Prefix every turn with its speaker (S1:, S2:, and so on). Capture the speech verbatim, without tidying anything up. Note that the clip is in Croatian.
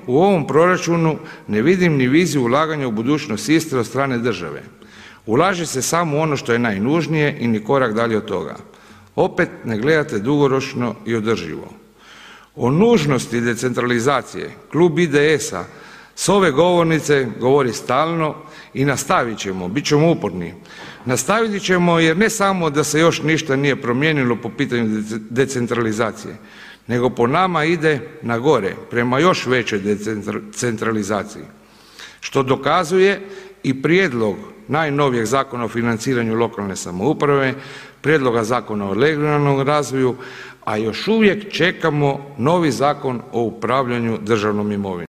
S1: u ovom proračunu ne vidim ni viziju ulaganja u budućnost Istre od strane države. Ulaže se samo u ono što je najnužnije i ni korak dalje od toga. Opet ne gledate dugoročno i održivo. O nužnosti decentralizacije klub I D S-a s ove govornice govori stalno i nastavit ćemo, bit ćemo uporni. Nastavit ćemo jer ne samo da se još ništa nije promijenilo po pitanju decentralizacije, nego po nama ide na gore, prema još većoj decentralizaciji. Što dokazuje i prijedlog najnovijeg Zakona o financiranju lokalne samouprave, prijedloga Zakona o regionalnom razvoju, a još uvijek čekamo novi Zakon o upravljanju državnom imovinom.